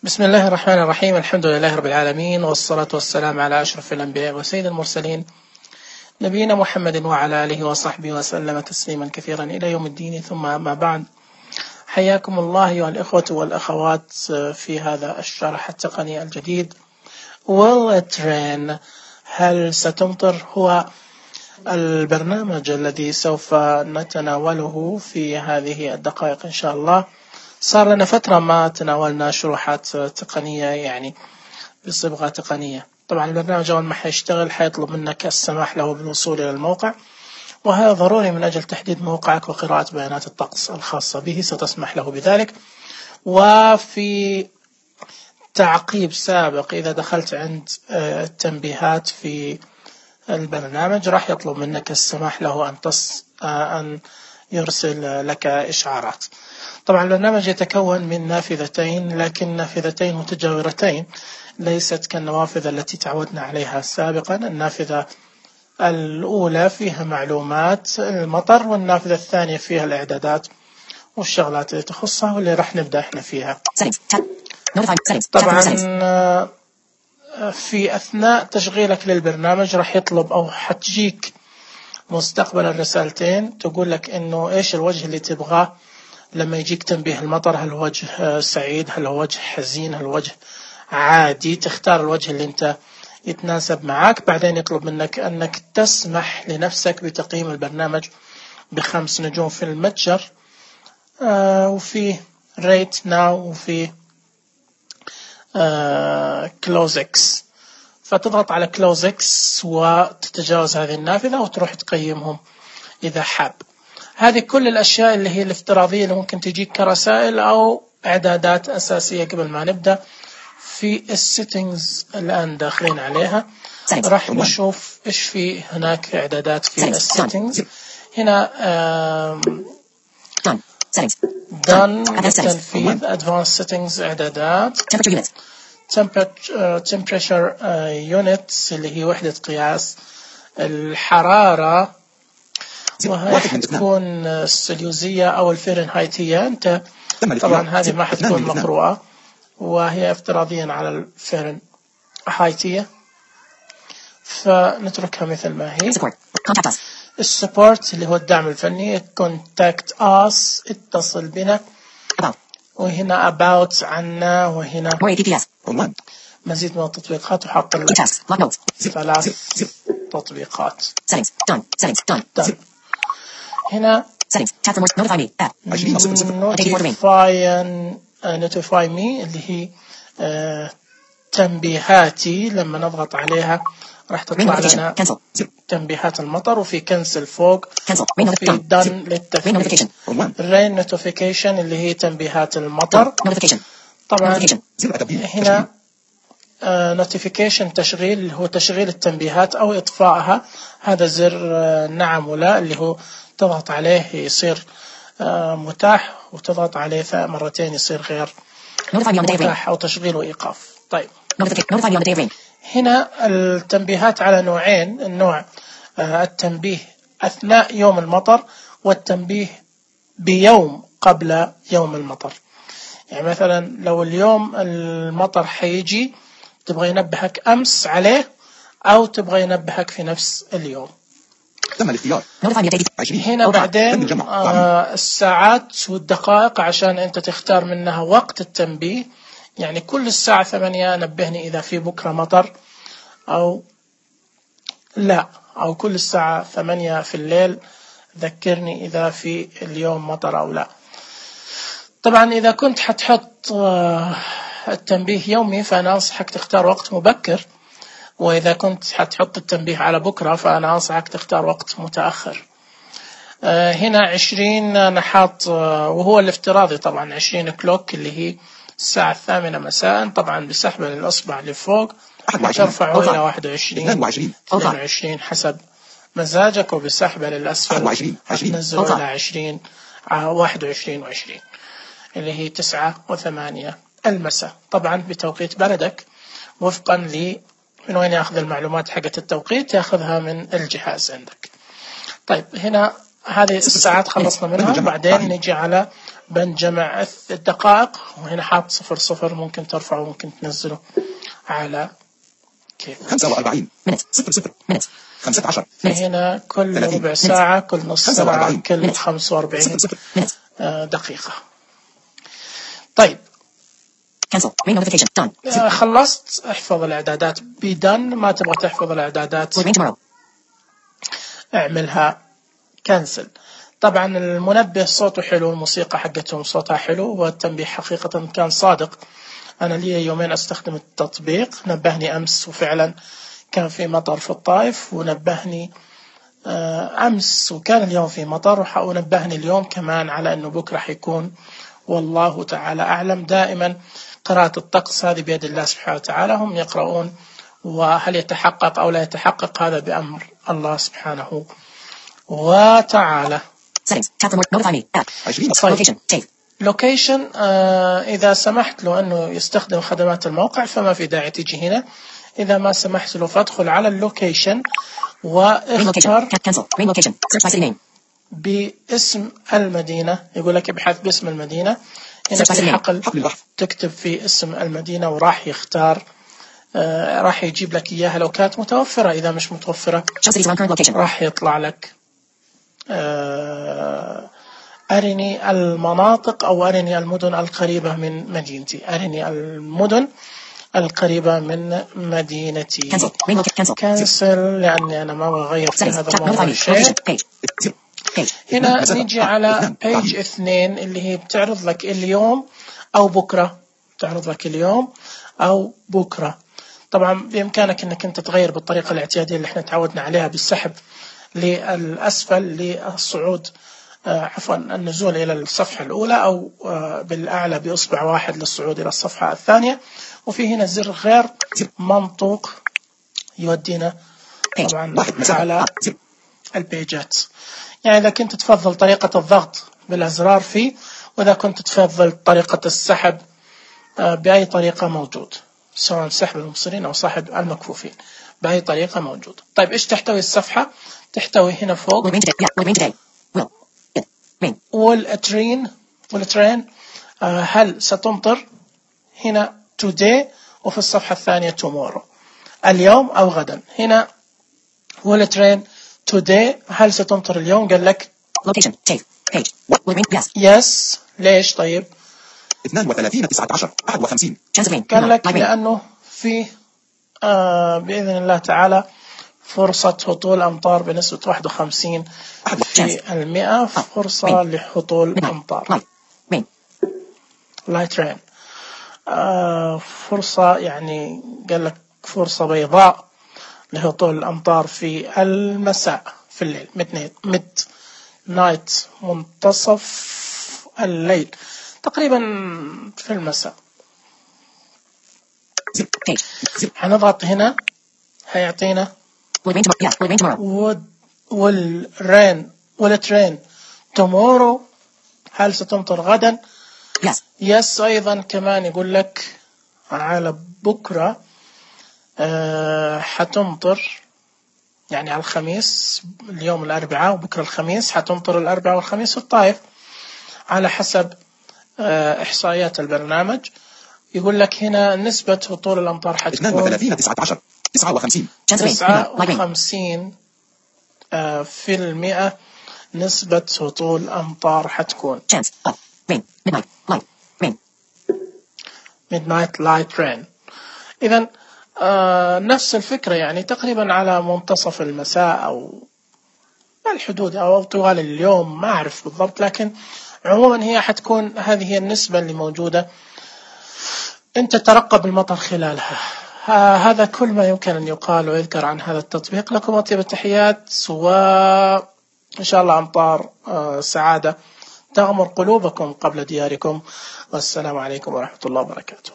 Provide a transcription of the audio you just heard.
بسم الله الرحمن الرحيم. الحمد لله رب العالمين، والصلاة والسلام على أشرف الأنبياء وسيد المرسلين، نبينا محمد وعلى آله وصحبه وسلم تسليما كثيرا إلى يوم الدين. ثم ما بعد، حياكم الله أيها الإخوة والأخوات في هذا الشرح التقني الجديد. Will it rain؟ هل ستمطر؟ هو البرنامج الذي سوف نتناوله في هذه الدقائق إن شاء الله. صار لنا فترة ما تناولنا شروحات تقنية، يعني بصبغة تقنية. طبعا البرنامج أول ما حيشتغل حيطلب منك السماح له بالوصول إلى الموقع، وهذا ضروري من أجل تحديد موقعك وقراءة بيانات الطقس الخاصة به، ستسمح له بذلك. وفي تعقيب سابق، إذا دخلت عند التنبيهات في البرنامج راح يطلب منك السماح له أن يرسل لك إشعارات. طبعا البرنامج يتكون من نافذتين، لكن نافذتين متجاورتين، ليست كالنوافذ التي تعودنا عليها سابقا. النافذة الأولى فيها معلومات المطر، والنافذة الثانية فيها الإعدادات والشغلات اللي تخصها، واللي راح نبدأ احنا فيها. طبعا في أثناء تشغيلك للبرنامج راح يطلب أو حتجيك مستقبلا رسالتين تقول لك إنه إيش الوجه اللي تبغاه لما يجيك تنبيه المطر. هل هو وجه سعيد؟ هل هو وجه حزين؟ هل هو وجه عادي؟ تختار الوجه اللي انت يتناسب معك. بعدين يطلب منك أنك تسمح لنفسك بتقييم البرنامج ب5 نجوم في المتجر، وفي ريت ناو، وفي كلوزكس. فتضغط على كلوزكس وتتجاوز هذه النافذة وتروح تقيمهم إذا حاب. هذه كل الأشياء اللي هي الافتراضية اللي ممكن تجيك كرسائل أو إعدادات أساسية. قبل ما نبدأ في السيتنجز الآن داخلين عليها، راح نشوف إيش في هناك إعدادات في السيتنجز. هنا done للتنفيذ، advanced settings إعدادات، temperature units اللي هي وحدة قياس الحرارة، وهي حتكون السليوزية أو الفahrenheitية. أنت طبعا هذه ما حتكون مقروءة، وهي افتراضيا على الفahrenheitية، فنتركها مثل ما هي. السبورت اللي هو الدعم الفني، contact us اتصل بنا، وهنا about عنا، وهنا مزيد من التطبيقات، وحط 3 تطبيقات. هنا notify me اللي هي تنبيهاتي. لما نضغط عليها راح تطلع لنا تنبيهات المطر، وفي كنسل فوق، وفي done للتثبيت. rain notification اللي هي تنبيهات المطر. طبعا هنا notification تشغيل، اللي هو تشغيل التنبيهات أو إطفائها. هذا زر نعم ولا، اللي هو تضغط عليه يصير متاح، وتضغط عليه مرتين يصير غير متاح، أو تشغيل وإيقاف. طيب هنا التنبيهات على نوعين: النوع التنبيه أثناء يوم المطر، والتنبيه بيوم قبل يوم المطر. يعني مثلا لو اليوم المطر حيجي، تبغى ينبهك أمس عليه أو تبغى ينبهك في نفس اليوم. هنا بعدين الساعات والدقائق عشان أنت تختار منها وقت التنبيه. يعني كل الساعة 8 نبهني إذا في بكرة مطر أو لا، أو كل الساعة 8 في الليل ذكرني إذا في اليوم مطر أو لا. طبعا إذا كنت حتحط التنبيه يومي فأنا أنصحك تختار وقت مبكر، وإذا كنت حتحط التنبيه على بكرة فأنا أنصحك تختار وقت متأخر. هنا 20 نحاط، وهو الافتراضي طبعا 20 كلوك اللي هي الساعة 8 مساء. طبعا بسحب الأصبع لفوق ترفعه إلى 21 22 حسب مزاجك، وبسحب للأسفل تنزله إلى 20 21 و20 اللي هي 9 و8 المساء. طبعا بتوقيت بلدك، وفقا من وين يأخذ المعلومات حقت التوقيت، يأخذها من الجهاز عندك. طيب هنا هذه الساعات خلصنا منها. بعدين نجي على بند جمع الدقائق، وهنا حاط 00، ممكن ترفعه ممكن تنزله على كيف. 45 00 15. هنا كل ربع ساعة، كل نص ساعة، كل 45 دقيقة. طيب خلصت. احفظ الإعدادات بدن. ما تبغى تحفظ الإعدادات اعملها كنسل. طبعا المنبه صوته حلو، الموسيقى حقتهم صوتها حلو، والتنبيه حقيقة كان صادق. أنا لي يومين أستخدم التطبيق، نبهني أمس وفعلا كان في مطر في الطائف، ونبهني أمس وكان اليوم في مطر، ونبهني اليوم كمان على أنه بكرة حيكون، والله تعالى أعلم. دائما قراءة الطقس هذه بيد الله سبحانه وتعالى، هم يقرؤون، وهل يتحقق أو لا يتحقق هذا بأمر الله سبحانه وتعالى. لوكيشن إذا سمحت له أنه يستخدم خدمات الموقع فما في داعي تيجي هنا. إذا ما سمحت له فادخل على اللوكيشن واختر باسم المدينة. يقول لك ابحث باسم المدينة. هنا في حقل تكتب في اسم المدينة وراح يختار، راح يجيب لك إياها لو كانت متوفرة. إذا مش متوفرة راح يطلع لك أرني المناطق أو أرني المدن القريبة من مدينتي. أرني المدن القريبة من مدينتي. كنسل لأني أنا ما بغير في هذا الموضوع شيء. هنا نيجي على page 2 اللي هي بتعرض لك اليوم أو بكرة. بتعرض لك اليوم أو بكرة. طبعا بإمكانك أنك أنت تغير بالطريقة الاعتيادية اللي احنا تعودنا عليها بالسحب للأسفل للصعود، عفوا النزول إلى الصفحة الأولى، أو بالأعلى بإصبع واحد للصعود إلى الصفحة الثانية. وفي هنا زر غير منطوق يودينا طبعا على البيجات. يعني إذا كنت تفضل طريقة الضغط بالأزرار فيه، وإذا كنت تفضل طريقة السحب بأي طريقة موجود، سواء سحب المبصرين أو سحب المكفوفين، بأي طريقة موجود. طيب إيش تحتوي الصفحة؟ تحتوي هنا فوق والترين. هل ستمطر؟ هنا today، وفي الصفحة الثانية tomorrow، اليوم أو غدا. هنا والترين today، هل ستمطر اليوم؟ قال لك yes. ليش طيب؟ 32 19 51. قال لك لأنه في بإذن الله تعالى فرصة هطول أمطار بنسبة 51%، فرصة لهطول أمطار. light rain، فرصة، يعني قال لك فرصة بيضاء لهطول الأمطار في المساء، في الليل، mid night، منتصف الليل، تقريبا في المساء. هنضغط هنا هيعطينا والترين tomorrow، هل ستمطر غدا؟ yes. أيضا كمان يقول لك على بكرة حتمطر، يعني على الخميس، اليوم الأربعاء وبكرة الخميس، حتمطر الأربعاء والخميس في الطائف على حسب إحصائيات البرنامج. يقول لك هنا نسبة هطول الأمطار حتكون 32 19 59 في المئة. نسبة هطول أمطار حتكون midnight light rain. إذن نفس الفكرة، يعني تقريبا على منتصف المساء أو الحدود أو طوال اليوم، ما أعرف بالضبط، لكن عموما هي حتكون هذه هي النسبة اللي موجودة. أنت ترقب المطر خلالها. هذا كل ما يمكن أن يقال ويذكر عن هذا التطبيق. لكم أطيب التحيات، وإن شاء الله أمطار سعادة تغمر قلوبكم قبل دياركم. والسلام عليكم ورحمة الله وبركاته.